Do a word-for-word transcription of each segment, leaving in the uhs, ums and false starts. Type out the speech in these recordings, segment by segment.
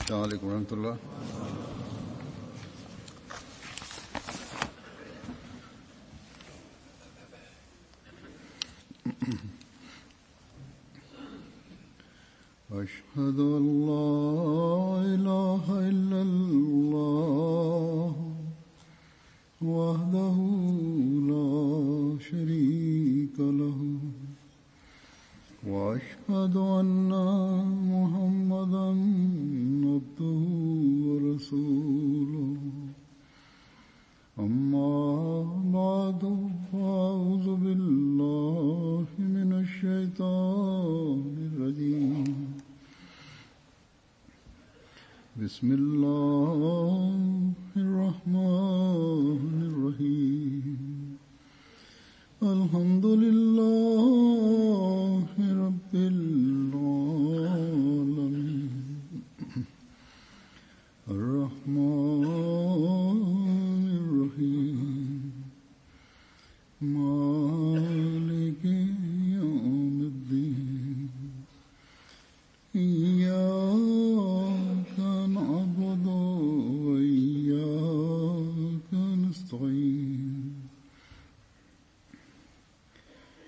السلام عليكم ورحمة الله. أشهد أن لا إله إلا الله وحده لا شريك له وأشهد أن محمدا عبده ورسوله أما بعد فأعوذ بالله من الشيطان الرجيم بسم الله الرحمن الرحيم الحمد لله رب العالمين الرحمن الرحيم مالك يوم الدين إياك نعبد وإياك نستعين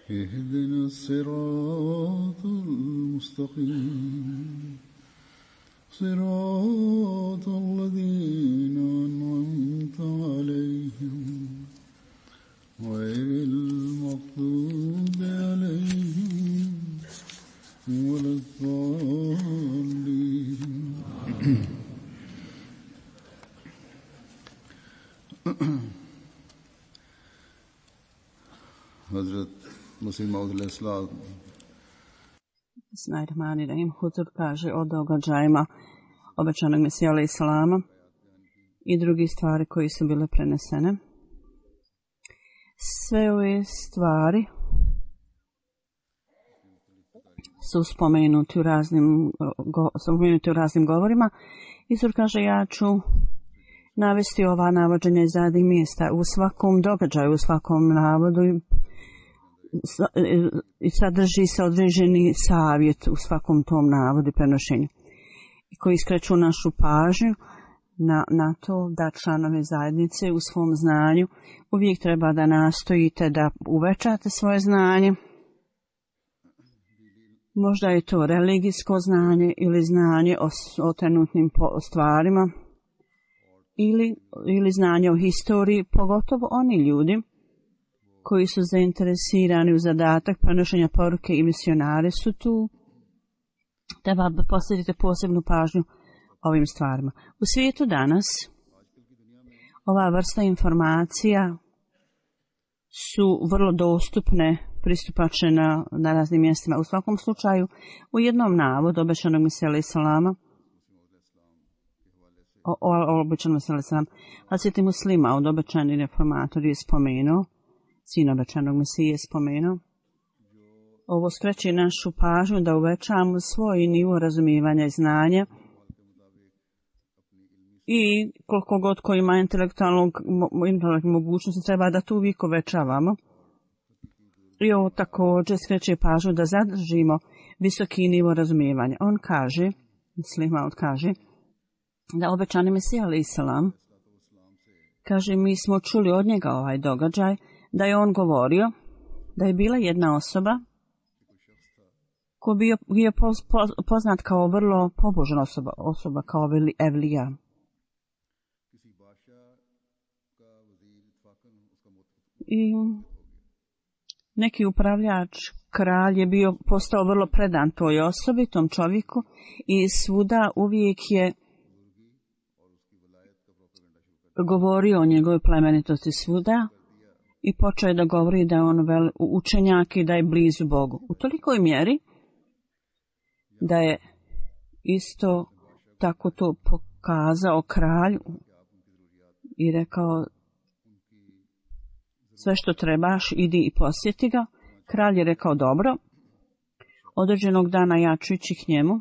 اهدنا الصراط المستقيم صراط الذين أنعمت عليهم غير المغضوب عليهم ولا الضالين. Hazrat Masih Maud alejhi selam. Bismillahirrahmanirrahim. Huzur kaže o događajima obećanog Mesija alejhi selama i drugi stvari koji su bile prenesene. Sve ove stvari su spomenuti u raznim, go, spomenuti u raznim govorima. Huzur kaže ja ću navesti ova navođenja iz zadnjih mjesta u svakom događaju, u svakom navodu i sadrži se određeni savjet u svakom tom navodu i prenošenju koji skreću našu pažnju na, na to da članovi zajednice u svom znanju uvijek treba da nastojite da uvećate svoje znanje. Možda je to religijsko znanje ili znanje o, o trenutnim stvarima ili, ili znanje o historiji, pogotovo oni ljudi koji su zainteresirani u zadatak prenošenja poruke i misionari su tu. Treba posvetite posebnu pažnju ovim stvarima. U svijetu danas ova vrsta informacija su vrlo dostupne, pristupačne na, na raznim mjestima. U svakom slučaju, u jednom navodu obećanog Mesija alejhi selama, o, o, o obećanog Mesija alejhi selama, Hazreti Muslima od obećani reformator je spomenuo, sin obećanog Mesije je spomenuo, ovo skreće našu pažnju da uvećamo svoj nivo razumijevanja i znanja i koliko god ko ima intelektualnog mogućnosti treba da tu uvijek uvećavamo. I ovo također skreće pažnju da zadržimo visoki nivo razumijevanja. On kaže, Muslima kaže, da obećani Mesija alejhi selam, kaže mi smo čuli od njega ovaj događaj, da je on govorio da je bila jedna osoba ko bio, bio poz, poz, poznat kao vrlo pobožna osoba, osoba kao evlija. I neki upravljač, kralj je bio postao vrlo predan toj osobi, tom čovjeku i svuda uvijek je govorio o njegovoj plemenitosti svuda i počeo je da govori da je on vel, učenjak i da je blizu Bogu. U tolikoj mjeri da je isto tako to pokazao kralju i rekao sve što trebaš, idi i posjeti ga. Kralj je rekao dobro, određenog dana ja ću ići k njemu.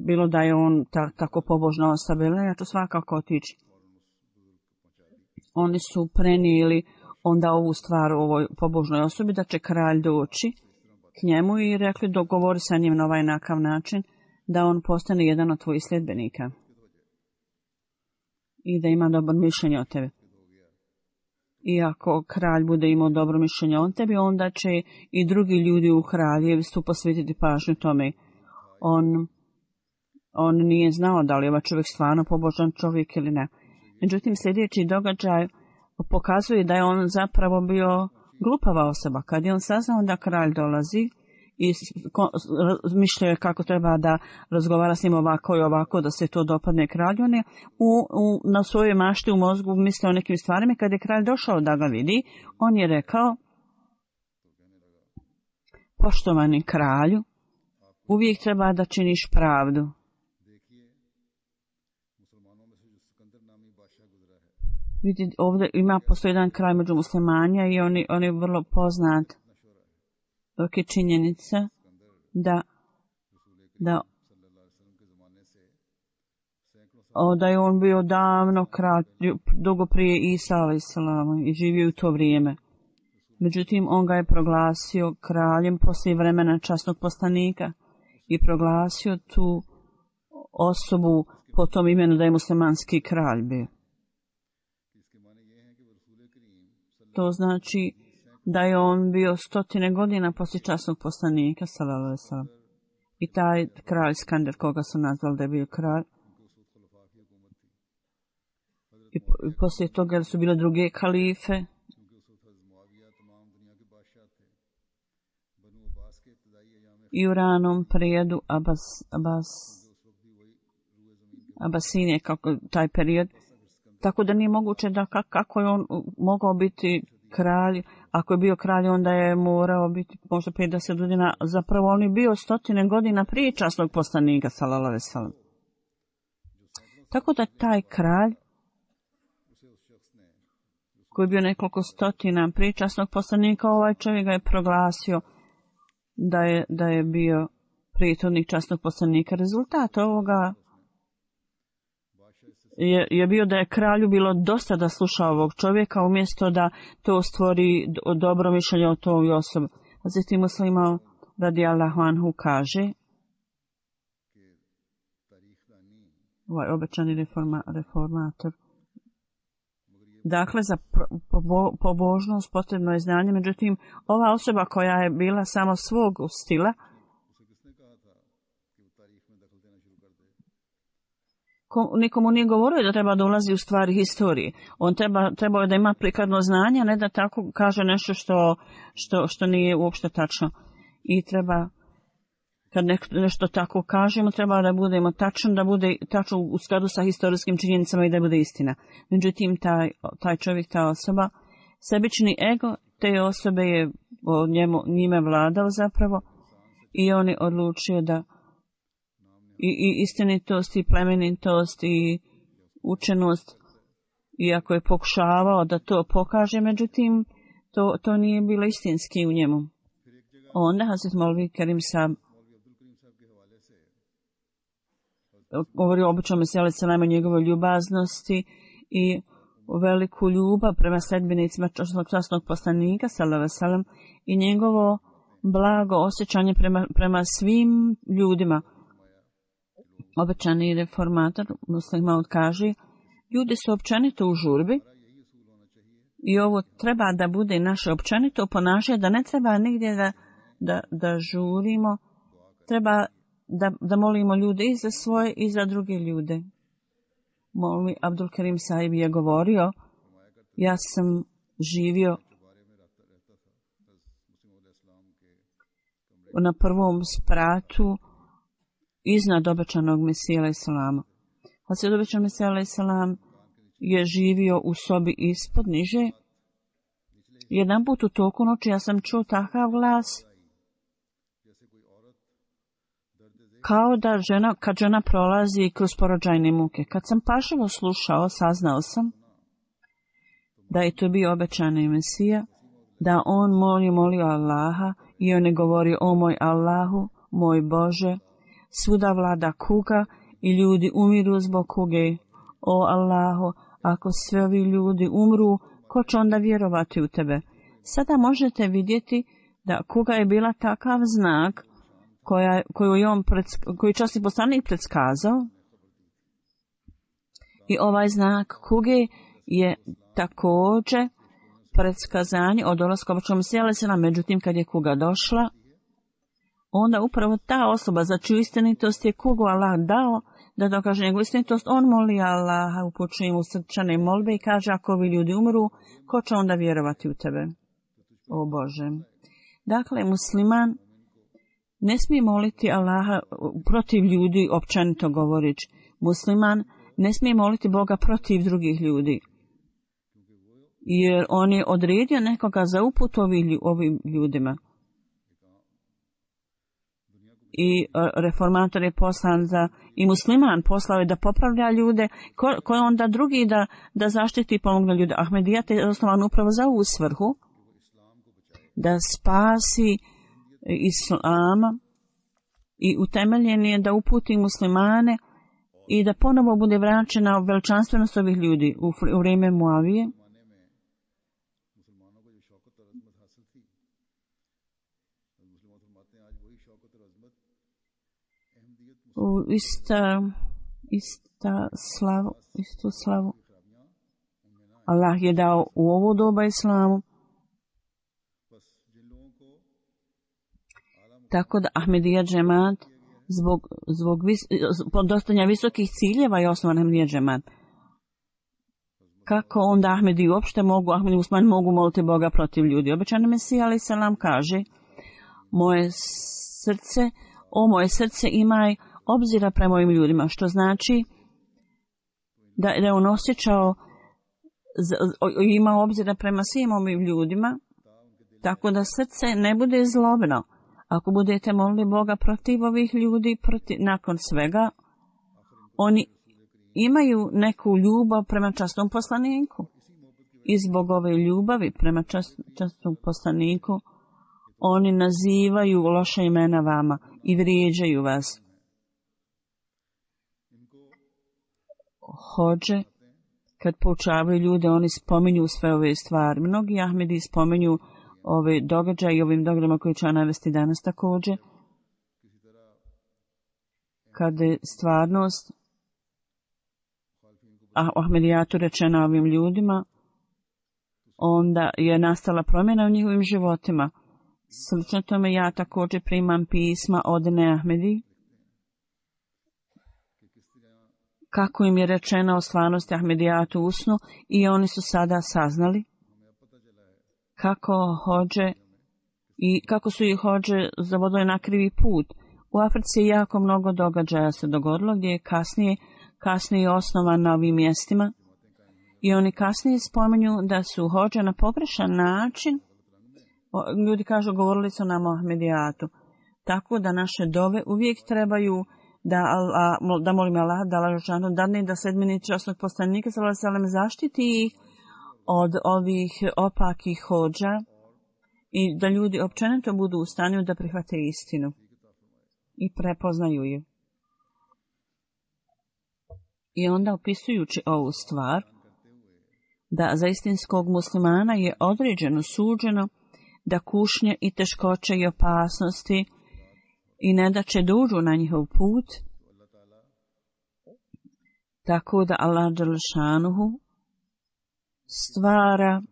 Bilo da je on ta, tako pobožna osoba, ja ću svakako otići. Oni su prenijeli onda ovu stvar ovoj pobožnoj osobi da će kralj doći k njemu i rekli dogovori sa njim na ovaj nakav način da on postane jedan od tvojih sljedbenika i da ima dobro mišljenje o tebi. I ako kralj bude imao dobro mišljenje o tebi, onda će i drugi ljudi u kraljevstvu posvetiti pažnju tome. On, on nije znao da li je ovaj čovjek stvarno pobožan čovjek ili ne. Međutim, sljedeći događaj pokazuje da je on zapravo bio glupava osoba. Kad je on saznao da kralj dolazi i mišljao je kako treba da razgovara s njim ovako i ovako, da se to dopadne kralju, on je u, u, na svojoj mašti u mozgu mislio o nekim stvarima. Kad je kralj došao da ga vidi, on je rekao: poštovani kralju, uvijek treba da činiš pravdu. Vidite, ovdje ima postoji jedan kralj među muslimanja i on je, on je vrlo poznat. Dok je činjenica da, da, o, da je on bio davno kralj, dugo prije Isa alejhi selam i živio u to vrijeme. Međutim, on ga je proglasio kraljem poslije vremena časnog poslanika i proglasio tu osobu po tom imenu da je muslimanski kralj bio. To znači da je on bio stotine godina poslije časnog poslanika, sallallahu alejhi ve sellem. I taj kralj Skander, koga su nazvali da je bio kralj. I, i poslije toga su bile druge kalife. I u ranom periodu Abbas, Abbas, Abbasinije, kako taj period. Tako da nije moguće da kako je on mogao biti kralj. Ako je bio kralj, onda je morao biti možda pedeset godina. Zapravo on je bio stotine godina prije časnog poslanika, sallallahu alejhi ve sellem. Tako da taj kralj, koji je bio nekoliko stotina prije časnog poslanika, ovaj čovjek ga je proglasio da je, da je bio prethodnik časnog poslanika. Rezultat ovoga Je, je bio da je kralju bilo dosta da sluša ovog čovjeka umjesto da to stvori dobro mišljenje o toj osobi. Hazreti Muslima radijallahu anhu kaže, ovaj obećani reforma, reformator, dakle za pobožnost potrebno je znanje, međutim ova osoba koja je bila samo svog stila, nikomu nije govorio da treba da ulazi u stvari historije. On treba, trebao je da ima prikladno znanje, a ne da tako kaže nešto što, što, što nije uopšte tačno. I treba, kad ne, nešto tako kažemo, treba da budemo tačno, da bude tačno u skladu sa historijskim činjenicama i da bude istina. Međutim, taj, taj čovjek, ta osoba, sebični ego te osobe je o njemu, njime vladao zapravo i on je odlučio da I, i istinitost i plemenitost i učenost, iako je pokušavao da to pokaže, međutim to, to nije bilo istinski u njemu. Onda Hazret Molvi Kerim Sab govori o običnom meseli salama, njegove ljubaznosti i veliku ljubav prema sledbenicima časnog poslanika sallallahu alejhi ve sellem i njegovo blago osjećanje prema, prema svim ljudima. Obećani reformator Muslima kaže, ljudi su općenito u žurbi i ovo treba da bude naše općenito ponašanje, da ne treba nigdje da, da, da žurimo, treba da, da molimo ljude i za svoje i za druge ljude. Molvi Abdul Karim Sahib je govorio, ja sam živio na prvom spratu iznad obećanog Mesija alejhi selam. Hazret obećan Mesija alejhi selam je živio u sobi ispod niže. Jedan put u toku noći ja sam čuo takav glas kao da žena, kad žena prolazi kroz porođajne muke. Kad sam pažljivo slušao, saznao sam da je to bio obećani Mesija, da on moli, molio Allaha i on je govorio, o moj Allahu, moj Bože, svuda vlada kuga i ljudi umiru zbog kuge. O Allahu, ako sve ovi ljudi umru ko će onda vjerovati u tebe? Sada možete vidjeti da kuga je bila takav znak koja, koju je on predsk, koji časni poslanik predskazao. I ovaj znak kuge je također predskazanje od dolaska običnog Mesija alejhi selam. Međutim, kad je kuga došla, onda upravo ta osoba za čiju istinitost je kugu Allah dao da dokaže njegovu istinitost, on moli Allaha, upućuje mu srčane molbe i kaže, ako ovi ljudi umru, ko će onda vjerovati u tebe? O Bože. Dakle, musliman ne smije moliti Allaha protiv ljudi, općenito govorić. Musliman ne smije moliti Boga protiv drugih ljudi, jer on je odredio nekoga za uput ovim, ovim ljudima. I reformator je poslan za, i musliman poslao je da popravlja ljude, ko, ko je onda drugi da, da zaštiti i pomogne ljude. Ahmedijat je osnovan upravo za ovu svrhu, da spasi islama i utemeljen je da uputi muslimane i da ponovo bude vraćena veličanstvenost ovih ljudi u, u vrijeme Muavije. U ista, ista slavu, istu slavu Allah je dao u ovo doba islamu. Tako da Ahmedija džemat zbog, zbog vis, podostanja visokih ciljeva je osnovan Ahmedija džemat. Kako onda Ahmedi uopšte mogu, Ahmedi Usman mogu moliti Boga protiv ljudi? Obećani Mesija alejhi selam kaže, moje srce, o moje srce imaj obzira prema ovim ljudima, što znači da je on osjećao, ima obzira prema svim ovim ljudima, tako da srce ne bude zlobno. Ako budete molili Boga protiv ovih ljudi, protiv, nakon svega, oni imaju neku ljubav prema časnom poslaniku. I zbog ove ljubavi prema čast, časnom poslaniku, oni nazivaju loša imena vama i vrijeđaju vas. Hođe, kad poučavaju ljude, oni spominju sve ove stvari. Mnogi Ahmedi spominju ove događaje i ovim događajima koji ću navesti danas također. Kada je stvarnost a u Ahmedijatu rečena ovim ljudima, onda je nastala promjena u njihovim životima. Slično tome ja također primam pisma od Ne Ahmedi, kako im je rečeno o stvarnosti Ahmedijatu u snu i oni su sada saznali kako hođe i kako su ih hođe zavodili na krivi put. U Africi je jako mnogo događaja se dogodilo gdje je kasnije, kasnije osnovan na ovim mjestima i oni kasnije spominju da su hođe na pogrešan način, ljudi kažu govorili su nam o Ahmedijatu, tako da naše dove uvijek trebaju da, Allah, da molim Allah da Allah dadne da sedmini časnog poslanika sallallahu alejhi ve sellem zaštiti ih od ovih opakih hođa i da ljudi općenito budu u stanju da prihvate istinu i prepoznaju je. I onda opisujući ovu stvar, da za istinskog muslimana je određeno suđeno da kušnje i teškoće i opasnosti i ne da će dužu na njihov put, tako da Allah dželle šanuhu stvara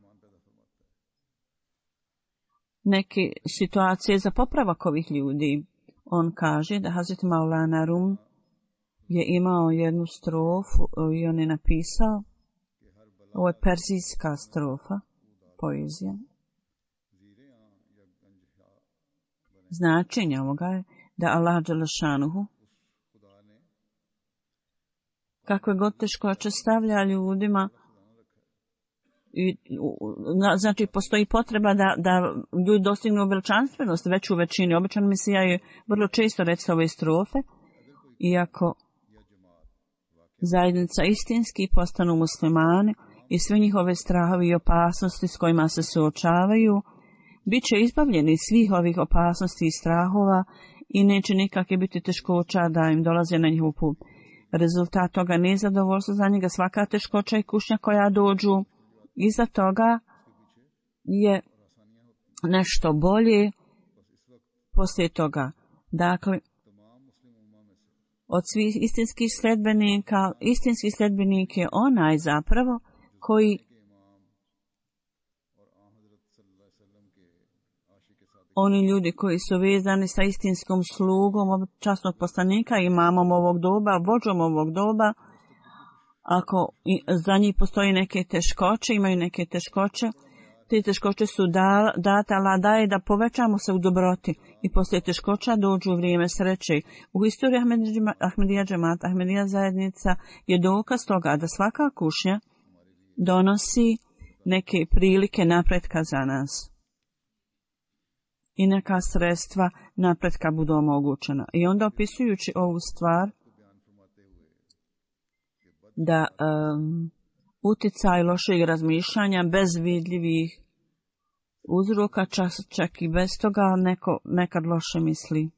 neke situacije za popravak ovih ljudi. On kaže da Hazret Maulana Rum je imao jednu strofu i on je napisao, ovo je perzijska strofa, poezija. Značenje ovoga je da Allah dželle šanuhu kakve god teškoće stavlja ljudima i, znači postoji potreba da, da ljudi dostignu veličanstvenost već u većini. Običan Mesija je vrlo često recite ove strofe, iako zajednica istinski postanu muslimani i sve njihove strahovi i opasnosti s kojima se suočavaju, bit će izbavljeni svih ovih opasnosti i strahova i neće nikakve biti teškoća da im dolaze na njihov put. Rezultat toga nije zadovoljstvo za njega, svaka teškoća i kušnja koja dođu Iza toga je nešto bolje poslije toga. Dakle, od svih istinskih sledbenika, istinski sledbenik je onaj zapravo koji oni ljudi koji su vezani sa istinskom slugom časnog poslanika, imamom ovog doba, vođom ovog doba, ako za njih postoji neke teškoće, imaju neke teškoće, te teškoće su da, data, Allah daje da povećamo se u dobroti i poslije teškoća dođu u vrijeme sreće. U historiji Ahmedija džemata, Ahmedija zajednica je dokaz toga da svaka kušnja donosi neke prilike napretka za nas. I neka sredstva napretka budu omogućena. I onda opisujući ovu stvar, da um, uticaj lošeg razmišljanja bez vidljivih uzroka, čak, čak i bez toga neko nekad loše misli.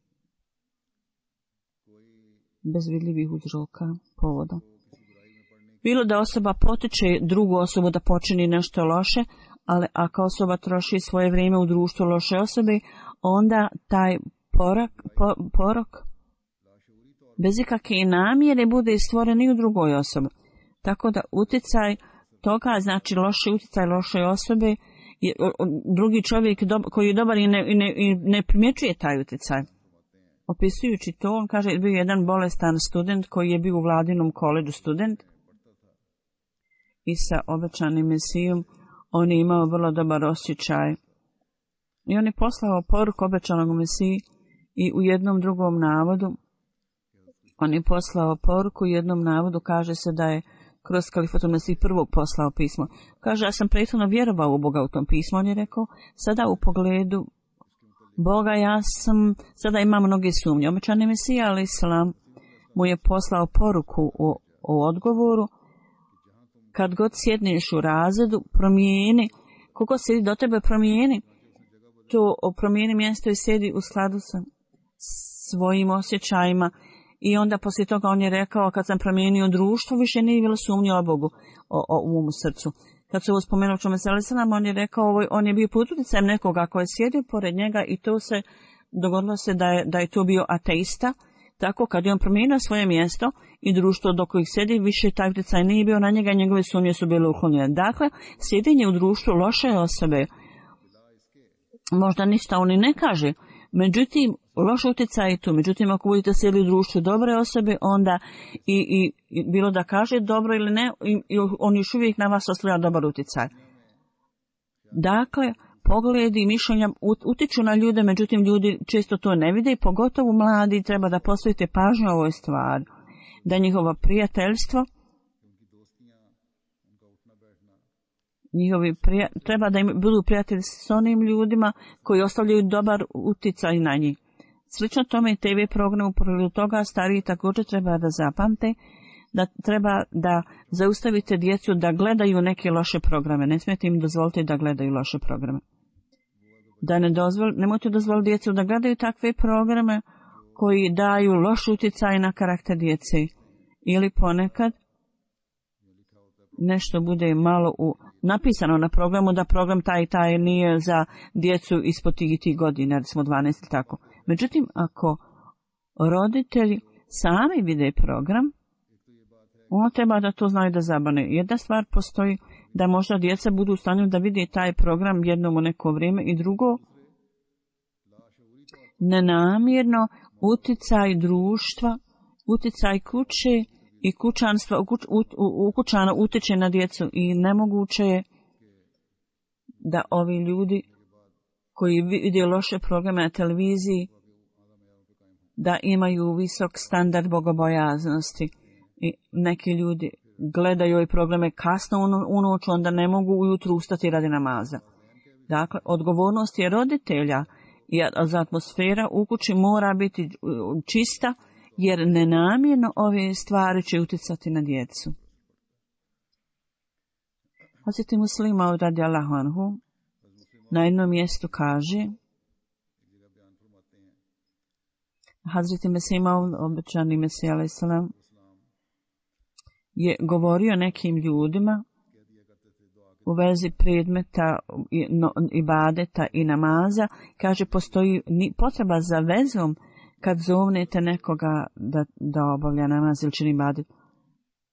Bez vidljivih uzroka, povoda. Bilo da osoba potiče drugu osobu da počini nešto loše, ali ako osoba troši svoje vrijeme u društvu loše osobe, onda taj porak, po, porok bez ikakve namjere bude stvoren i u drugoj osobi. Tako da uticaj toga, znači loši uticaj loše osobe, je, drugi čovjek do, koji je dobar i ne, i ne, i ne primjećuje taj uticaj. Opisujući to, on kaže, bio jedan bolestan student koji je bio u vladinom koleđu student i sa obećanim mesijom on je imao vrlo dobar osjećaj. I on je poslao poruku obećanog mesiji i u jednom drugom navodu on je poslao poruku u jednom navodu, kaže se da je kroz Kalifatul Mesih prvo poslao pismo. Kaže, ja sam prethodno vjerovao u Boga u tom pismu, on je rekao, sada u pogledu Boga ja sam, sada imam mnoge sumnje. Obećani Mesija, ali Islam, mu je poslao poruku o, o odgovoru, kad god sjedneš u razredu, promijeni, kogo sjedi do tebe, promijeni, to promijeni mjesto i sjedi u skladu sa svojim osjećajima. I onda poslije toga on je rekao, kad sam promijenio društvo, više nije bilo sumnje o Bogu, o, o umu srcu. Kad se ovo spomenuo čome se Alisalam, on je rekao, on je bio pod utjecajem nekoga koji je sjedio pored njega i to se dogodilo se da je, da je to bio ateista. Tako kad je on promijenio svoje mjesto i društvo do kojih sjedi, više taj utjecaj nije bio na njega i njegove sumnje su bile uklonjene. Dakle, sjedenje u društvu loše osobe, možda ništa on i ne kaže, međutim, loš utjecaj je tu. Međutim, ako budete sjeli u društvu dobre osobe, onda i, i, i bilo da kaže dobro ili ne, i, i on još uvijek na vas ostavlja dobar utjecaj. Dakle, pogledi i mišljenja utiču na ljude, međutim, ljudi često to ne vide i pogotovo mladi treba da posvetite pažnju ovoj stvari. Da njihovo prijateljstvo, njihovi prija, treba da im budu prijatelji s onim ljudima koji ostavljaju dobar utjecaj na njih. Slično tome i te ve program u pogledu toga stariji također treba da zapamte da treba da zaustavite djecu da gledaju neke loše programe. Ne smijete im dozvoliti da gledaju loše programe. Da ne dozvol, nemojte dozvoliti djecu da gledaju takve programe koji daju loš utjecaj na karakter djece. Ili ponekad nešto bude malo u, napisano na programu da program taj i taj nije za djecu ispod tih tih godina, recimo dvanaest ili tako. Međutim, ako roditelji sami vide program, ono treba da to znaju da zabane. Jedna stvar postoji da možda djeca budu u stanju da vide taj program jednom u neko vrijeme i drugo, nenamjerno uticaj društva, uticaj kuće i kućanstva, u, u, u kućana utiče na djecu i nemoguće je da ovi ljudi koji vide loše programe na televiziji da imaju visok standard bogobojaznosti i neki ljudi gledaju ove programe kasno u noć, onda ne mogu ujutru ustati radi namaza. Dakle, odgovornost je roditelja i za atmosfera u kući mora biti čista, jer nenamjerno ove stvari će utjecati na djecu. Hazreti Muslima radijallahu anhu na jednom mjestu kaže, Hazreti Mesih Maud, obećani Mesih alejhi selam, je govorio nekim ljudima u vezi predmeta i, no, ibadeta i namaza, kaže postoji potreba za vezom kad zovnete nekoga da, da obavlja namaz ili čini ibadet.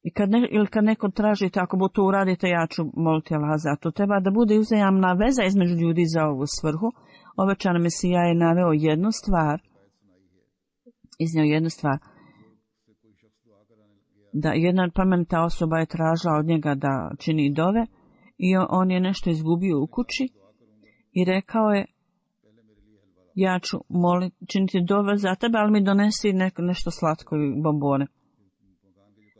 I kad, ne, ili kad neko tražite, ako bo to uradite, ja ću moliti Allah za to. Treba da bude uzajamna veza između ljudi za ovu svrhu. Obećana Mesija je naveo jednu stvar, iznio jednu stvar, da jedna plemenita osoba je tražila od njega da čini dove i on je nešto izgubio u kući i rekao je, ja ću moliti, činiti dove za tebe, ali mi donesi ne, nešto slatko i bombone.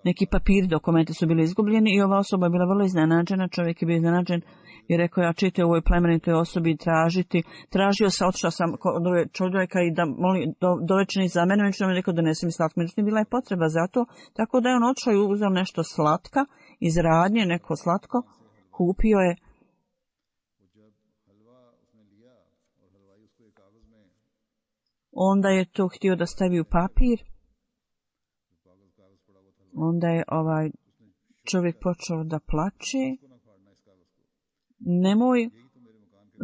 Neki papiri, dokumenti su bili izgubljeni i ova osoba je bila vrlo iznenađena, čovjek je bio iznenađen i rekao, ja čite u ovoj plemenitoj osobi tražiti, tražio sam, otišao sam kod čovjeka i da moli do, dovečeni za mene, međutim je rekao da donesi mi slatko, međutim bila je potreba za to, tako da je on otišao i uzeo nešto slatka, iz radnje, neko slatko, kupio je. Onda je to htio da stavi u papir. Onda je ovaj čovjek počeo da plače. Nemoj,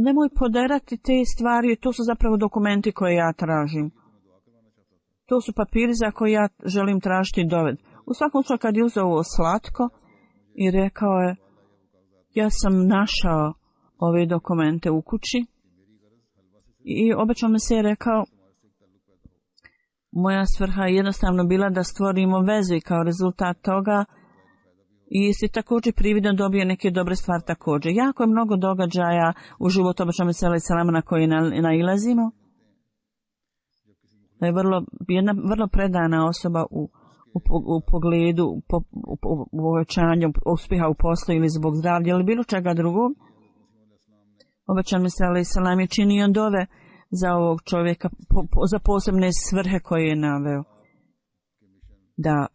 nemoj poderati te stvari, to su zapravo dokumenti koje ja tražim. To su papiri za koje ja želim tražiti doved. U svakom slučaju kad je uzeo ovo slatko i rekao je, ja sam našao ove dokumente u kući i obećao mi se je rekao, moja svrha je jednostavno bila da stvorimo vezu i kao rezultat toga i si također prividno dobio neke dobre stvari također. Jako je mnogo događaja u životu obećanog selama selama na koje nailazimo. Da je vrlo, jedna vrlo predana osoba u, u, u pogledu po, u, u, u povećanju uspjeha u poslu ili zbog zdravlja ili bilo čega drugog. Obećanog selama selama je činio dove za ovog čovjeka, po, po, za posebne svrhe koje je naveo. Da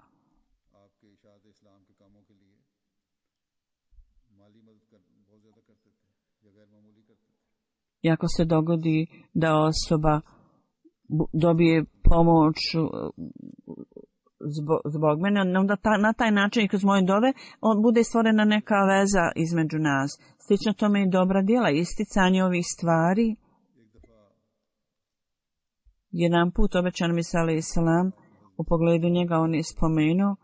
i ako se dogodi da osoba dobije pomoć zbog, zbog mene, onda ta, na taj način i kroz moje dove on bude stvorena neka veza između nas. Slično tome i dobra djela, isticanje ovih stvari. Jedan put obećan Isa alejhi selam u pogledu njega on je spomenuo,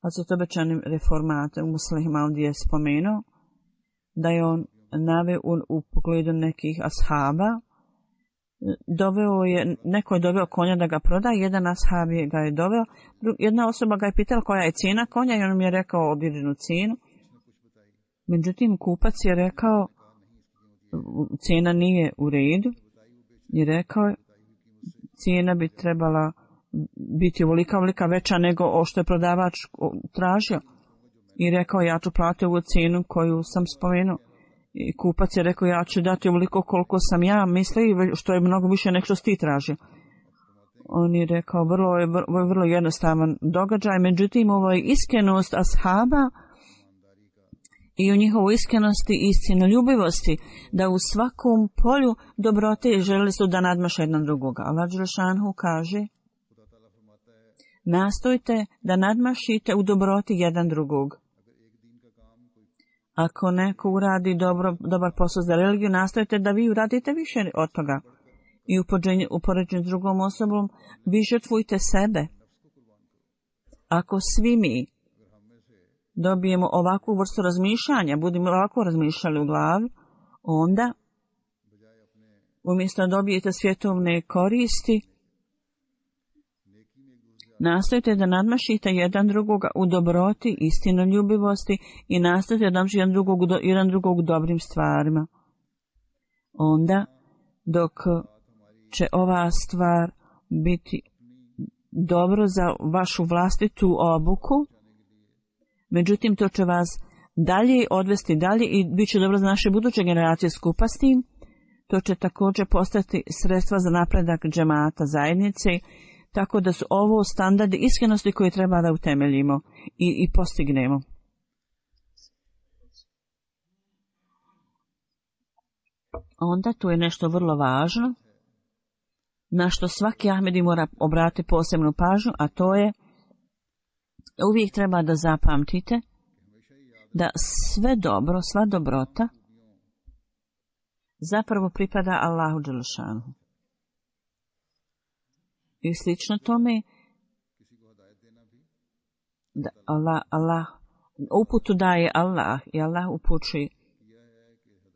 a su to obećani reformate u muslima ovdje je spomenuo, da je on naveo u, u pogledu nekih ashaba, doveo je, neko je doveo konja da ga proda, jedan ashab je ga je doveo, jedna osoba ga je pitala koja je cijena konja i on mi je rekao određenu cijenu. Međutim, kupac je rekao, cijena nije u redu i rekao je, cijena bi trebala biti ovolika, ovolika veća nego o što je prodavač tražio. I rekao, ja ću platiti ovu cijenu koju sam spomenuo. I kupac je rekao, ja ću dati ovoliko koliko sam ja mislio, što je mnogo više nego što ti tražio. On je rekao, vrlo je vrlo, vrlo jednostavan događaj, međutim, ovo je iskrenost ashaba i u njihovoj iskrenosti i istinoljubivosti, da u svakom polju dobrote želi su da nadmaše jedan drugoga. Allah dželešanu kaže, nastojte da nadmašite u dobroti jedan drugog. Ako neko uradi dobro, dobar posao za religiju, nastojte da vi uradite više od toga. I u poređenju s drugom osobom, vi žrtvujte sebe. Ako svi mi dobijemo ovakvu vrstu razmišljanja, budemo ovako razmišljali u glavi, onda umjesto da dobijete svjetovne koristi, nastojite da nadmašite jedan drugoga u dobroti, istinoljubivosti i nastojite da nadmašite jedan drugog, jedan drugog u dobrim stvarima. Onda, dok će ova stvar biti dobro za vašu vlastitu obuku, međutim, to će vas dalje odvesti dalje i bit će dobro za naše buduće generacije skupa s tim. To će također postati sredstva za napredak džemata zajednice, tako da su ovo standardi iskrenosti koje treba da utemeljimo i, i postignemo. Onda tu je nešto vrlo važno, na što svaki Ahmedi mora obratiti posebnu pažnju, a to je uvijek treba da zapamtite da sve dobro, sva dobrota zapravo pripada Allahu dželešanu. I slično tome da Allah, Allah uputu daje Allah i Allah upućuje.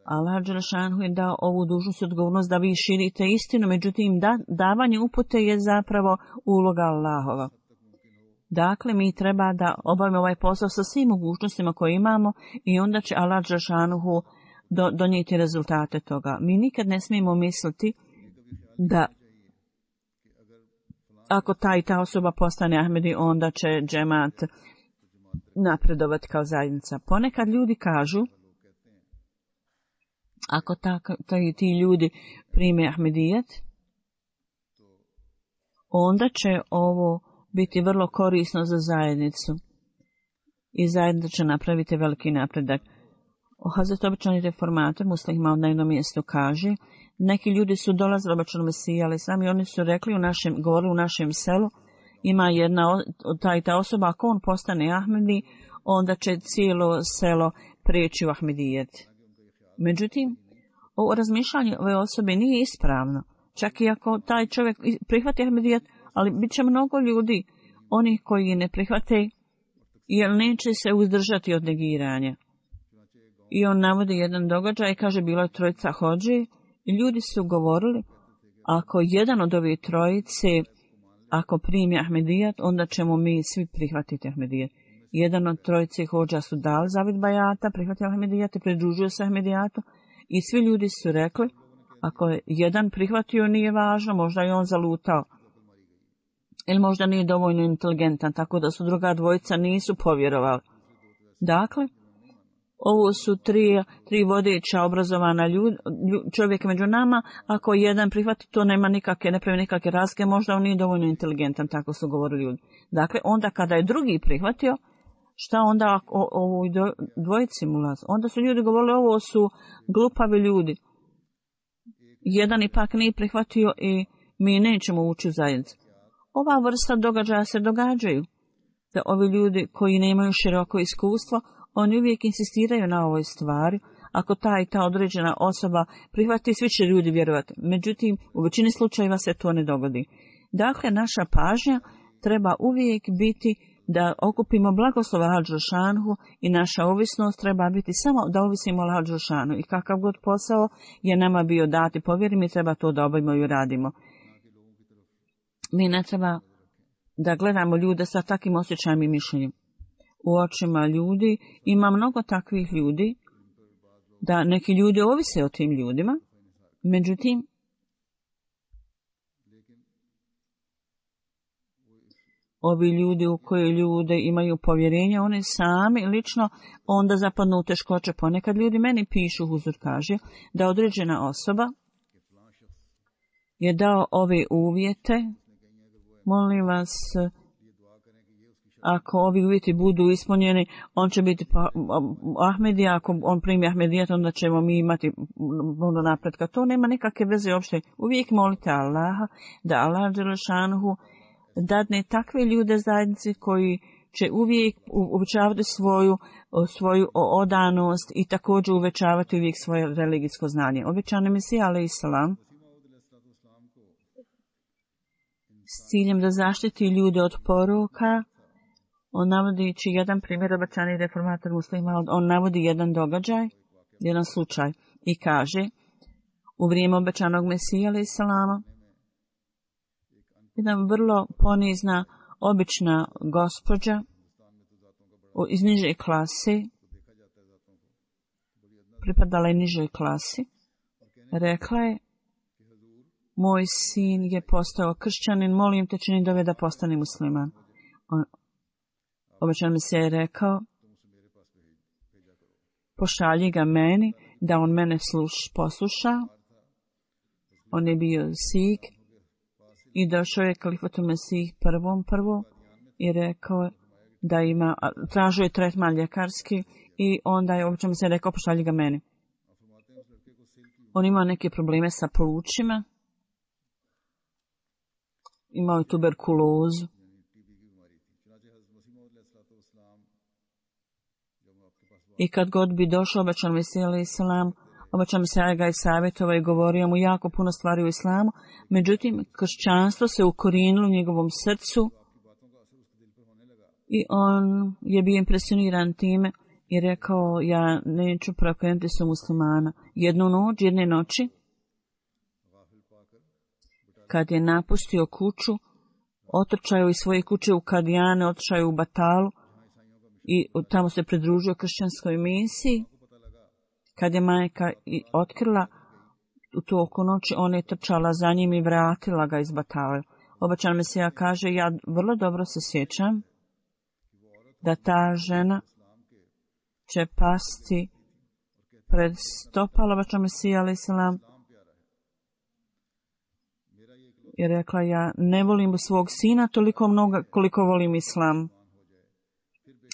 Allah dželešanu je dao ovu dužnost i odgovornost da vi širite istinu, međutim da, davanje upute je zapravo uloga Allahova. Dakle, mi treba da obavimo ovaj posao sa svim mogućnostima koje imamo i onda će Allah dželešanu do, donijeti rezultate toga. Mi nikad ne smijemo misliti da ako ta i ta osoba postane Ahmedi, onda će džemat napredovati kao zajednica. Ponekad ljudi kažu, ako ta, ta i ti ljudi prime Ahmedijet, onda će ovo biti vrlo korisno za zajednicu i zajednica će napraviti veliki napredak. Hazret običani reformator muslima na jednom mjestu kaže, neki ljudi su dolazili običanom Mesiji, ali sami oni su rekli u našem, govorili u našem selu, ima jedna ta i ta osoba, ako on postane Ahmedi, onda će cijelo selo prijeći u Ahmedijet. Međutim, ovo razmišljanje ove osobe nije ispravno. Čak i ako taj čovjek prihvati Ahmedijet, ali bit će mnogo ljudi, onih koji ne prihvate, jer neće se uzdržati od negiranja. I on navodi jedan događaj i kaže, bilo je trojica hodži i ljudi su govorili, ako jedan od ove trojice, ako primi Ahmedijat, onda ćemo mi svi prihvatiti Ahmedijat. Jedan od trojice hodža su dali zavid bajata, prihvatili Ahmedijat i pridružio se Ahmedijatu i svi ljudi su rekli, ako je jedan prihvatio nije važno, možda je on zalutao. Ili možda nije dovoljno inteligentan, tako da su druga dvojica nisu povjerovali. Dakle, ovo su tri, tri vodeća obrazovana ljud, čovjeka među nama, ako jedan prihvati, to nema nikakve, ne pravi nikakve razlike, možda on nije dovoljno inteligentan, tako su govorili ljudi. Dakle, onda kada je drugi prihvatio, šta onda o ovoj dvojici mulaz? Onda su ljudi govorili, ovo su glupavi ljudi. Jedan ipak nije prihvatio i mi nećemo ući u zajednicu. Ova vrsta događaja se događaju. Da ovi ljudi koji nemaju široko iskustvo, oni uvijek insistiraju na ovoj stvari. Ako ta i ta određena osoba prihvati, svi će ljudi vjerovati. Međutim, u većini slučajeva se to ne dogodi. Dakle, naša pažnja treba uvijek biti da okupimo blagoslova Allaha dželešanu i naša ovisnost treba biti samo da ovisimo Allaha dželešanu. I kakav god posao je nama bio dati, povjeri mi, treba to da obavimo i uradimo. Mi ne treba da gledamo ljude sa takvim osjećajem i mišljenjem. U očima ljudi ima mnogo takvih ljudi, da neki ljudi ovise o tim ljudima, međutim, ovi ljudi u koje ljude imaju povjerenje, oni sami lično onda zapadnu u teškoće. Ponekad ljudi meni pišu, huzur kaže, da određena osoba je dao ove uvjete, molim vas, ako ovi uvjeti budu ispunjeni, on će biti pa, Ahmedija, ako on primi Ahmedijat, onda ćemo mi imati puno napretka. To nema nikakve veze uopšte. Uvijek molite Allaha da Allah dželešanu dadne takve ljude zajednici koji će uvijek uvećavati svoju, svoju odanost i također uvećavati uvijek svoje religijsko znanje. Obećani Mesija alejhi selam s ciljem da zaštiti ljude od poroka, on navodići jedan primjer, obećani reformator muslima, on navodi jedan događaj, jedan slučaj i kaže, u vrijeme obećanog Mesija alejhi selama, jedna vrlo ponizna, obična gospođa iz niže klase, pripadala je nižoj klasi, rekla je, moj sin je postao kršćanin, molim te čini dove da postane musliman. On, obećan mi se je rekao, pošalji ga meni, da on mene sluš, posluša. On je bio Sik i došao je kalifatu Mesih prvom prvo i rekao da ima, tražio je tretman ljekarski i onda je obećan mi se je rekao, pošalji ga meni. On imao neke probleme sa plućima, imao je tuberkulozu. I kad god bi došao obećan Mesija alejhi selam, obećan Mesija ga je savjetovao i govorio mu jako puno stvari u islamu, međutim kršćanstvo se ukorijenilo u njegovom srcu i on je bio impresioniran time i rekao, ja neću preokrenuti se muslimana. Jednu noć, jedne noći, kad je napustio kuću, otrčao iz svoje kuće u Kadijane, otišao u Batalu i tamo se pridružio kršćanskoj misiji. Kad je majka otkrila u to oko noći, ona je trčala za njim i vratila ga iz Batale. Obećan Mesija kaže, ja vrlo dobro se sjećam da ta žena će pasti pred stopala obećan Mesija alejhi selam i rekla, ja ne volim svog sina toliko mnogo koliko volim islam.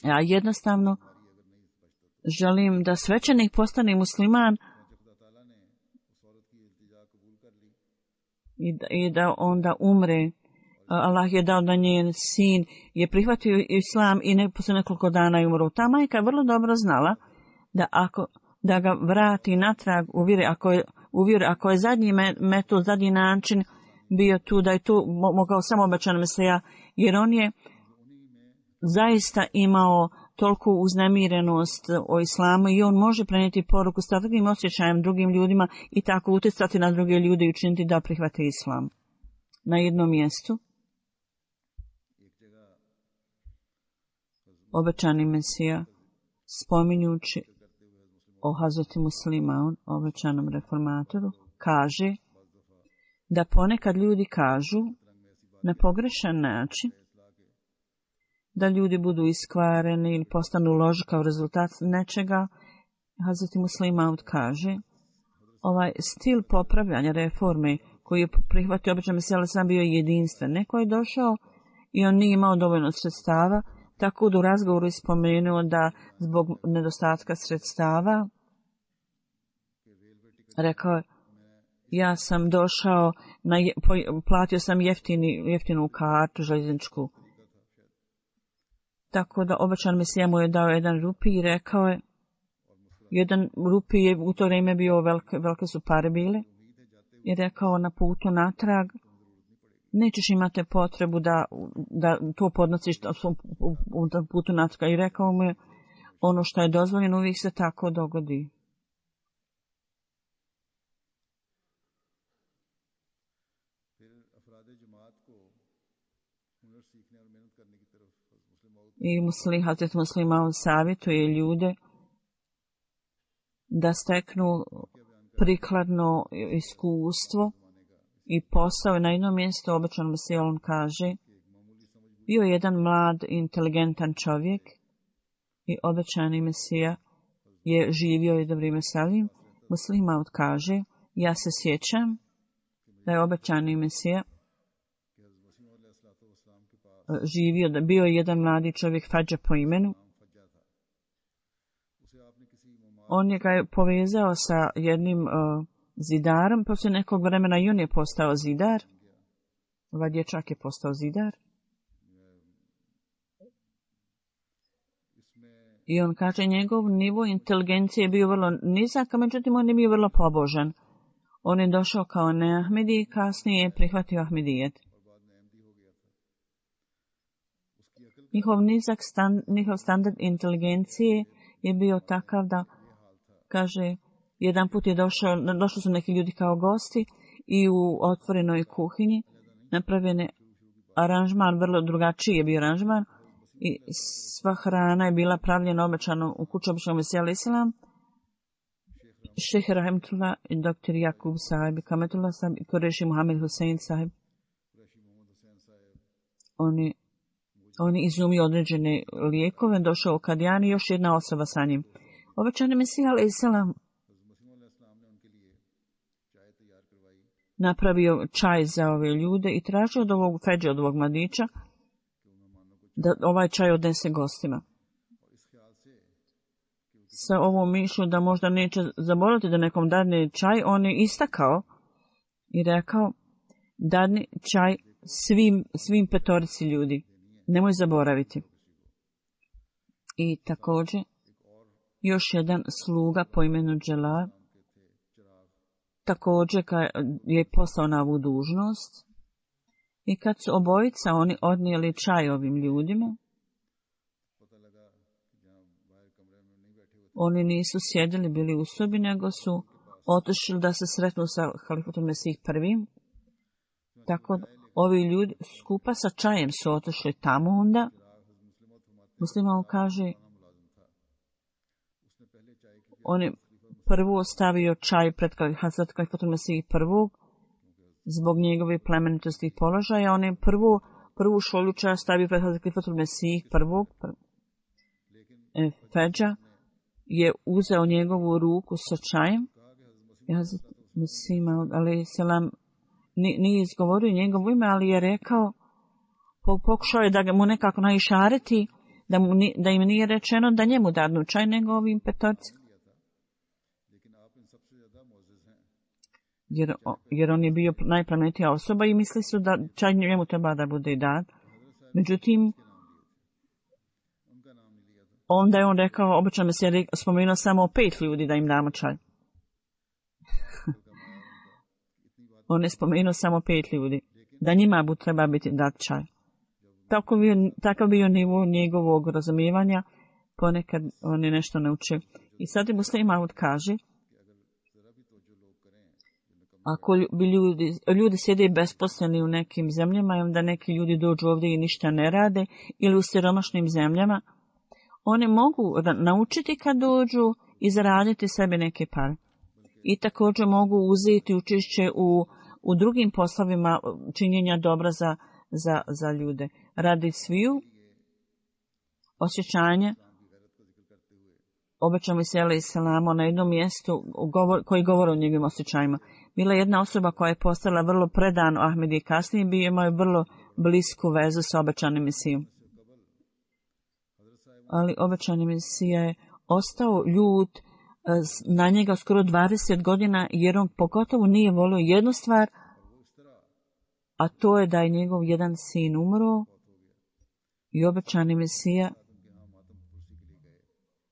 Ja jednostavno želim da svećenik postane musliman i da, i da onda umre. Allah je dao da njen sin je prihvatio islam i ne, posle nekoliko dana je umro. Ta majka je vrlo dobro znala da ako da ga vrati natrag u vjeri, ako je, u vjeri, ako je zadnji metod, zadnji način bio tu, da je tu mogao samo obećan Mesija, jer on je zaista imao toliko uznemirenost o islamu i on može prenijeti poruku s takvim osjećajem drugim ljudima i tako utjecati na druge ljude i učiniti da prihvate islam. Na jednom mjestu obećani Mesija, spominjući o Hazreti Muslima, obećanom reformatoru, kaže da ponekad ljudi kažu na pogrešan način da ljudi budu iskvareni ili postanu loži kao rezultat nečega. Hazreti Muslima kaže, ovaj stil popravljanja reforme koji je prihvatio obećan Mesija alejhi selam bio jedinstven. Neko je došao i on nije imao dovoljno sredstava, tako da u razgovoru je spomenuo da zbog nedostatka sredstava rekao je, ja sam došao, na, platio sam jeftini, jeftinu kartu željezničku. Tako da obećan Mesija mu je dao jedan rupi i rekao je, jedan rupi je u to vrijeme bio velike, velike su pare bile, i rekao na putu natrag, nećeš imati potrebu da, da to podnosiš u putu natrag. I rekao mu je, ono što je dozvoljeno uvijek se tako dogodi. I muslim, Hazret Muslima savjetuje ljude da steknu prikladno iskustvo i posao. Na jednom mjestu obećan Mesija on kaže, bio je jedan mlad, inteligentan čovjek i obećani Mesija je živio i dobrim Mesalim. Muslima kaže, ja se sjećam da je obećani Mesija živio, da bio je jedan mladi čovjek Fadža po imenu. On je ga je povezao sa jednim uh, zidarom, poslije nekog vremena i on je postao zidar. Ovaj dječak je postao zidar. I on kaže, njegov nivo inteligencije je bio vrlo nizak, a međutim on je bio vrlo pobožan. On je došao kao neahmedi i kasnije je prihvatio ahmedijet. Njihov nizak stand, njihov standard inteligencije je bio takav da, kaže, jedan put je došao, došli su neki ljudi kao gosti i u otvorenoj kuhinji napravljen je aranžman, vrlo drugačiji je bio aranžman i sva hrana je bila pravljena obećano u kuću obećanog Mesija alejhi selam. Šejh Rahmetullah i doktor Jakub sahib, Kametullah sahib i Kureši Muhammed Husein sahib. Oni On je izumio određene lijekove, došao u Kadijani i još jedna osoba sa njim. Obećani Mesija alejhi selam napravio čaj za ove ljude i tražio od ovog feđa, od ovog mladića, da ovaj čaj odnese gostima. Sa ovom mišlju da možda neće zaboraviti da nekom dadne čaj, on je istakao i rekao, dadni čaj svim, svim petorici ljudi. Nemoj zaboraviti. I također, još jedan sluga po imenu Dželal također je poslao na ovu dužnost i kad su obojica oni odnijeli čaj ovim ljudima, oni nisu sjedili, bili u sobi, nego su otišli da se sretnu sa halifatom Mesih prvim. Tako ovi ljudi skupa sa čajem su otišli tamo onda. Musliman kaže, on je prvo stavio čaj pred Hazrat halifatom Mesih prvog zbog njegove plemenitosti i položaja. On je prvo, prvu šolju čaja stavio pred Hazrat halifatom Mesih prvog. E, Feđa je uzeo njegovu ruku sa čajem. Hazrat Mesih alejhi selam nije izgovorio njegovo ime, ali je rekao, pokušao je da mu nekako naišareti, da, mu, da im nije rečeno da njemu dadnu čaj, nego ovim petorci. Jer, jer on je bio najplemenitija osoba i misli su da čaj njemu treba da bude dat. Međutim, onda je on rekao, obično mi se je spomenuo samo pet ljudi da im damo čaj. On je spomenuo samo pet ljudi, da njima bu treba biti dat čaj. Tako bio, takav bio nivo njegovog razumijevanja, ponekad on je nešto naučio. I sad je Muslim Maud kaže, ako bi ljudi, ljudi sjede besposleni u nekim zemljama i onda neki ljudi dođu ovdje i ništa ne rade, ili u siromašnim zemljama, one mogu naučiti kad dođu i zaraditi sebi neke pare. I također mogu uzeti učešće u, u drugim poslovima činjenja dobra za, za, za ljude. Radi sviju osjećanja, obećamo se alejhi selam na jednom mjestu govor, koji govori o njegovim osjećajima. Bila je jedna osoba koja je postala vrlo predan Ahmedi, kasnije bi imao vrlo blisku vezu sa obećanim Mesijom. Ali obećani Mesija je ostao ljut na njega skoro dvadeset godina, jer on pogotovo nije volio jednu stvar, a to je da je njegov jedan sin umro i obećani Mesija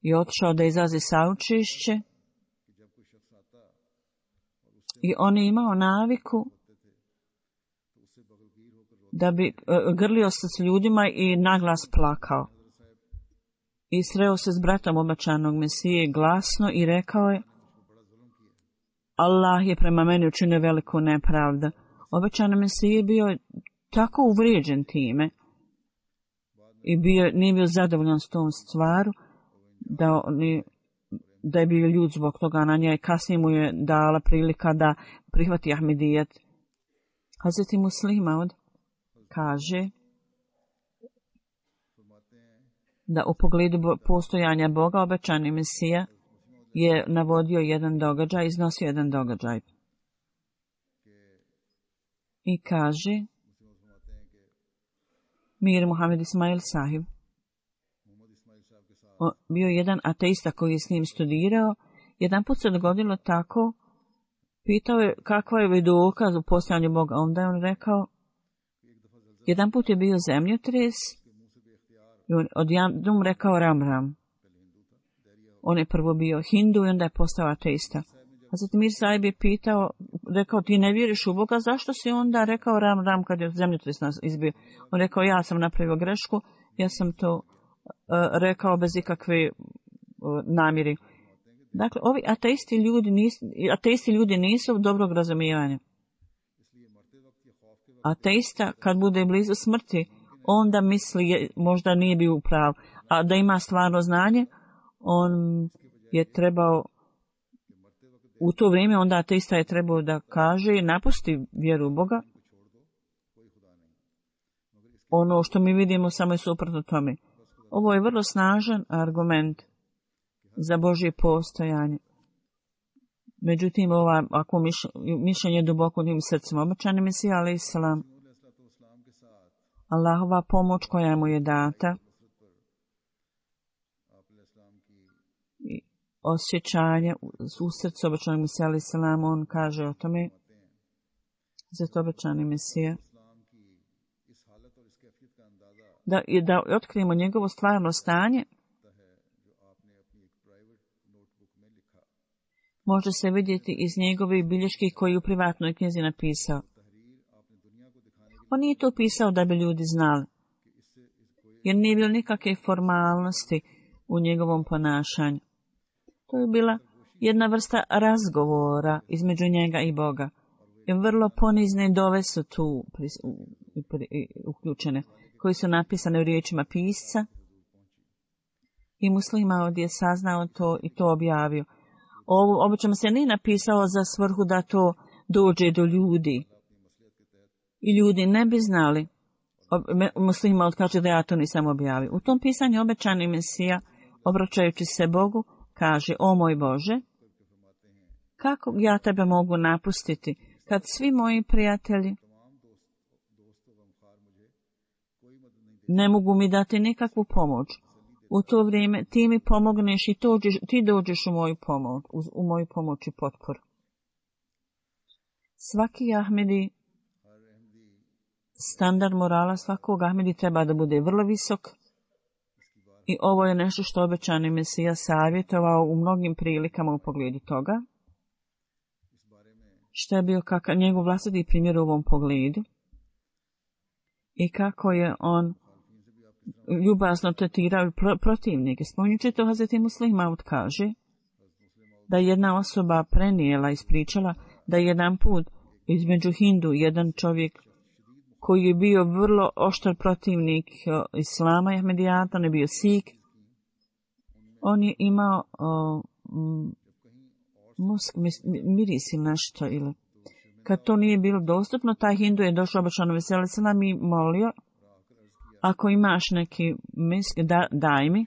je otišao da izrazi saučešće i on je imao naviku da bi grlio se s ljudima i naglas plakao. I sreo se s bratom obećanog Mesije glasno i rekao je, Allah je prema meni učinio veliku nepravdu. Obećani Mesije je bio tako uvrijeđen time i bio, nije bio zadovoljan s tom stvaru, da, oni, da je bio ljud zbog toga na njoj. Kasnije mu je dala prilika da prihvati Ahmedijet. Hazreti Muslim Maud kaže da u pogledu postojanja Boga obećani Mesija je navodio jedan događaj, iznosio jedan događaj. I kaže, Mir Muhammed Ismail Sahib, o, bio jedan ateista koji je s njim studirao, jedan put se dogodilo tako, pitao je kakva je dokaz u postojanju Boga, onda je on rekao, jedan put je bio zemljotres, i on odjednom rekao Ram Ram. On je prvo bio Hindu i onda je postao ateista. A zatim Mir Sahib je pitao, rekao, ti ne vjeriš u Boga, zašto si onda rekao Ram Ram kad je zemljotres nas izbio? On rekao, ja sam napravio grešku, ja sam to uh, rekao bez ikakve uh, namjeri. Dakle, ovi ateisti ljudi nisu, ateisti ljudi nisu dobrog razumijevanja. Ateista, kad bude blizu smrti, onda misli, možda nije bio u pravu, a da ima stvarno znanje, on je trebao, u to vrijeme onda ateista je trebao da kaže, napusti vjeru u Boga. Ono što mi vidimo samo je suprotno tome. Ovo je vrlo snažan argument za Božje postojanje. Međutim, ova, ako mišljenje je duboko u njim srcima, obećani Mesija alejhi selam, Allahova pomoć koja mu je data i osjećanje u srcu obećanog Mesija alejhi selam, on kaže o tome, zato obećani Mesija, da, da otkrijemo njegovo stvarno stanje, može se vidjeti iz njegove bilješke koji u privatnoj knjizi napisao. On nije to pisao da bi ljudi znali, jer nije bilo nikakve formalnosti u njegovom ponašanju. To je bila jedna vrsta razgovora između njega i Boga. I vrlo ponizne dove su tu uključene, koji su napisane u riječima pisca. I muslima ovdje je saznao to i to objavio. Ovo obično se nije napisao za svrhu da to dođe do ljudi. I ljudi ne bi znali. Muslima odkaže da ja to nisam objavio. U tom pisanju obećani Mesija, obraćajući se Bogu, kaže: o moj Bože, kako ja tebe mogu napustiti kad svi moji prijatelji ne mogu mi dati nikakvu pomoć. U to vrijeme ti mi pomogneš i tođeš, ti dođeš u moju pomoć, u moju pomoć i potporu. Svaki Ahmedi, standard morala svakog Ahmedi treba da bude vrlo visok. I ovo je nešto što obećani Mesija savjetovao u mnogim prilikama u pogledu toga. Što je bio kakav njegov vlastiti primjer u ovom pogledu. I kako je on ljubazno tretirao protivnike. Spominjući to, Hazreti Muslih Maud kaže da jedna osoba prenijela, ispričala da jedan put između Hindu jedan čovjek koji je bio vrlo oštar protivnik Islama i Ahmedijata, on je bio Sik. On je imao o, m, musk, miris ili nešto. Ili. Kad to nije bilo dostupno, taj Hindu je došao obično veseli selam i molio: ako imaš neki misk, da, daj mi.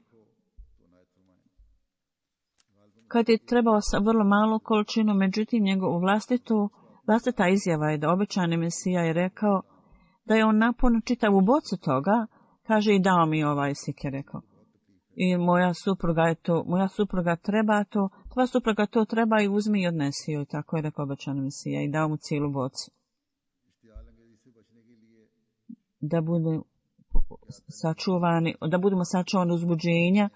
Kad je trebao sa vrlo malu količinu, međutim njegovu vlastitu, vlastita izjava je da obećani Mesija je rekao da je on napunio čitavu bocu toga, kaže: i dao mi ovaj sik, je rekao. I moja supruga je to, moja supruga treba to, tvoja supruga to treba i uzmi i odnesi joj, tako je rekao obećani Mesija i dao mu cijelu bocu. Da bude sačuvani, da budemo sačuvani uzbuđenja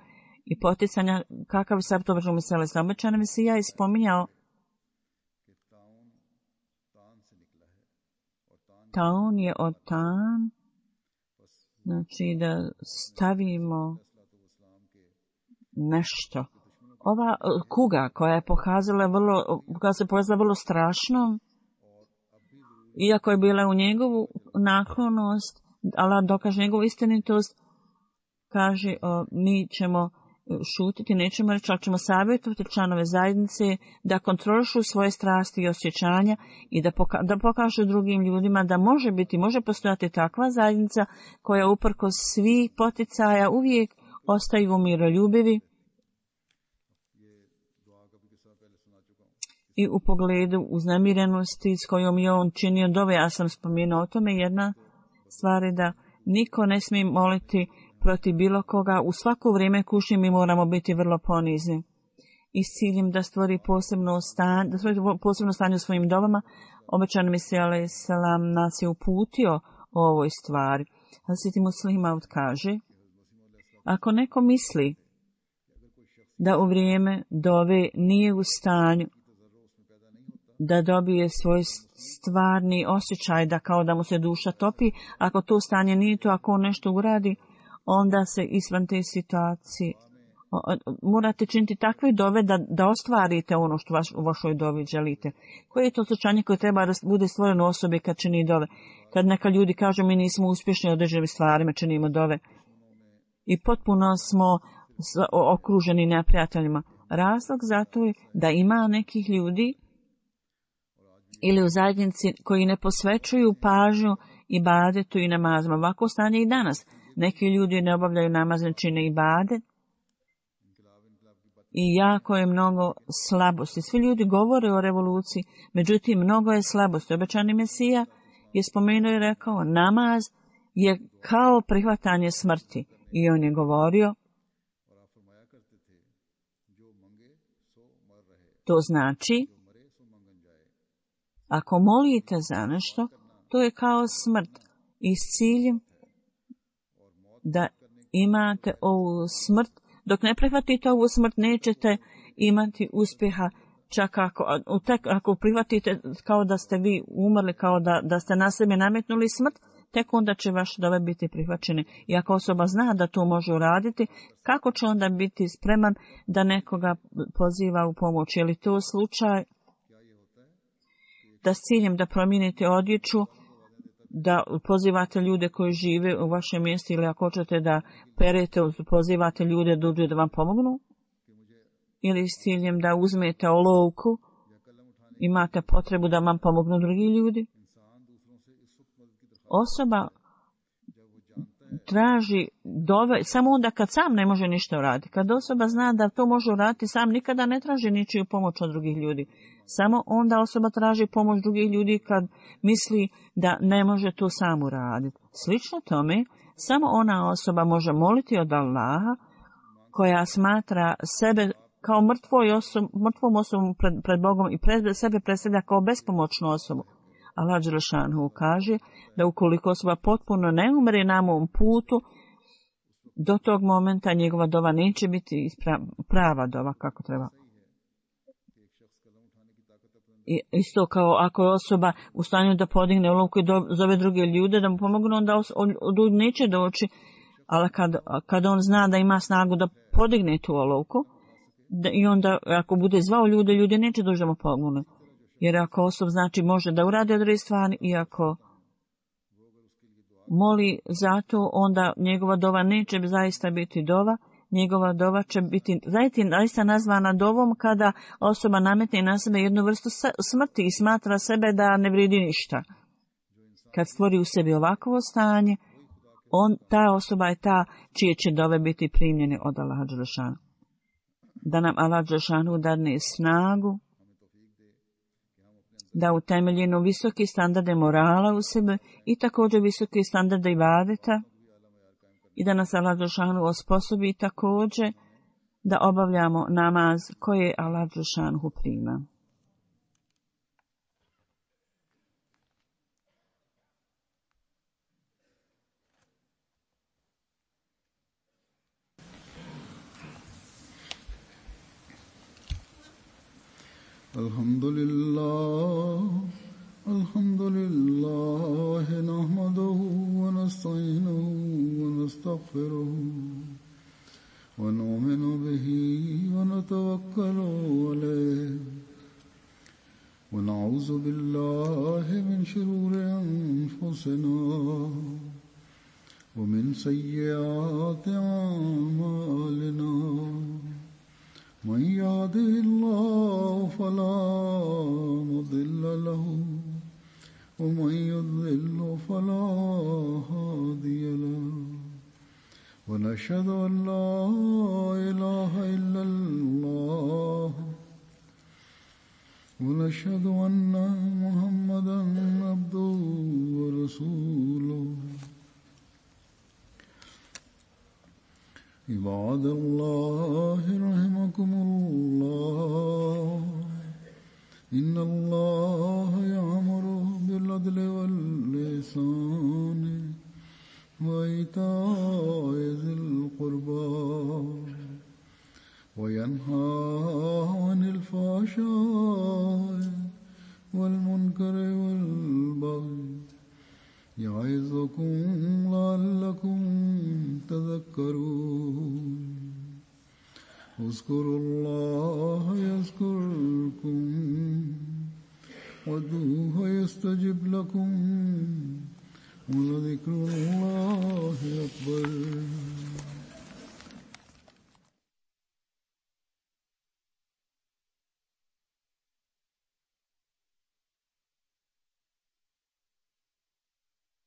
i poticanja, kakav je sad to obećano Mesija. Obećani Mesija je spominjao taun je od tan, znači da stavimo nešto. Ova kuga koja je pokazala vrlo, koja se pokazala vrlo strašnom, iako je bila u njegovu naklonost, Allah dokaže njegovu istinitost, kaže: o, mi ćemo šutiti, nećemo reći, ali ćemo savjetovati članove zajednice da kontrolišu svoje strasti i osjećanja i da, poka- da pokažu drugim ljudima da može biti, može postojati takva zajednica koja uprkos svih poticaja uvijek ostaju miroljubivi i u pogledu uznemirenosti s kojom je on činio dove. Ja sam spomenuo o tome. Jedna stvar je da niko ne smije moliti protiv bilo koga. U svako vrijeme kušnje mi moramo biti vrlo ponizni. I s ciljem da stvori posebno stanje, da stvori posebno stanje u svojim dovama, obećani Mesija alejhi selam nas je uputio o ovoj stvari. Hazreti Muslih Maud kaže: ako neko misli da u vrijeme dove nije u stanju da dobije svoj stvarni osjećaj, da kao da mu se duša topi, ako to stanje nije to, ako on nešto uradi, onda se izvan te situacije morate činiti takve dove da, da ostvarite ono što vaš, u vašoj dovi želite. Koje je to osjećanje koje treba da bude stvoreno osobi kad čini dove? Kad neka ljudi kažu mi nismo uspješni u određenim stvarima, činimo dove i potpuno smo okruženi neprijateljima. Razlog zato je da ima nekih ljudi ili u zajednici koji ne posvećuju pažnju ibadetu i namazima. Ovako stanje i danas. Neki ljudi ne obavljaju namaz, ne čine ibadet i jako je mnogo slabosti. Svi ljudi govore o revoluciji, međutim mnogo je slabosti. Obećani Mesija je spomenuo i rekao: namaz je kao prihvatanje smrti. I on je govorio: to znači, ako molite za nešto, to je kao smrt i s ciljem da imate ovu smrt. Dok ne prihvatite ovu smrt, nećete imati uspjeha čak ako, tek ako prihvatite kao da ste vi umrli, kao da, da ste na sebe nametnuli smrt, tek onda će vaš dove biti prihvaćeni. I ako osoba zna da to može uraditi, kako će onda biti spreman da nekoga poziva u pomoć? Je li to slučaj da s ciljem da promijenite odjeću, da pozivate ljude koji žive u vašem mjestu, ili ako hoćete da perete, pozivate ljude da dođu da vam pomognu? Ili s ciljem da uzmete olovku, imate potrebu da vam pomognu drugi ljudi? Osoba traži dove samo onda kad sam ne može ništa uraditi. Kad osoba zna da to može uraditi sam, nikada ne traži ničiju pomoć od drugih ljudi. Samo onda osoba traži pomoć drugih ljudi kad misli da ne može to sam uraditi. Slično tome, samo ona osoba može moliti od Allaha koja smatra sebe kao mrtvoj osob, mrtvom osobom pred, pred Bogom i pred sebe predstavlja kao bespomoćnu osobu. Allah dželešanu kaže da ukoliko osoba potpuno ne umre na mom putu, do tog momenta njegova dova neće biti prava dova kako treba. I isto kao ako je osoba u stanju da podigne olovku i zove druge ljude da mu pomognu, onda ljudi neće doći, ali kad, kad on zna da ima snagu da podigne tu olovku, da, i onda ako bude zvao ljude, ljude neće doći da mu pomognu. Jer ako osob znači može da uradi određene stvari i ako moli zato, onda njegova dova neće zaista biti dova, njegova dova će biti zaista nazvana dovom kada osoba nametne na sebe jednu vrstu smrti i smatra sebe da ne vredi ništa. Kad stvori u sebi ovakvo stanje, on, ta osoba je ta čije će dove biti primljene od Allaha dželešanu. Da nam Allah dželešanu dadne snagu da utemeljeno visoki standarde morala u sebe i također visoki standarde ibadeta i da nas Allah dželešanu osposobi također da obavljamo namaz koje Allah dželešanu prima. Alhamdulillah, alhamdulillah, nahmaduhu wa nasta'inuhu wa nastaghfiruhu wa nu'minu bihi wa natawakkalu alayhi wa na'udzu billahi min shururi anfusina wa min sayyiati a'malina. من يهده الله فلا مضل له ومن يضلل فلا هادي له ونشهد أن لا إله إلا الله ونشهد أن محمدا عبده ورسوله. عباد الله رحمكم الله إن الله يأمر بالعدل والإحسان وإيتاء ذي القربى وينهى عن الفحشاء والمنكر والبغي يعظكم لعلكم تذكرون. اذكروا الله يذكركم وادعوه يستجب لكم ولذكر الله أكبر.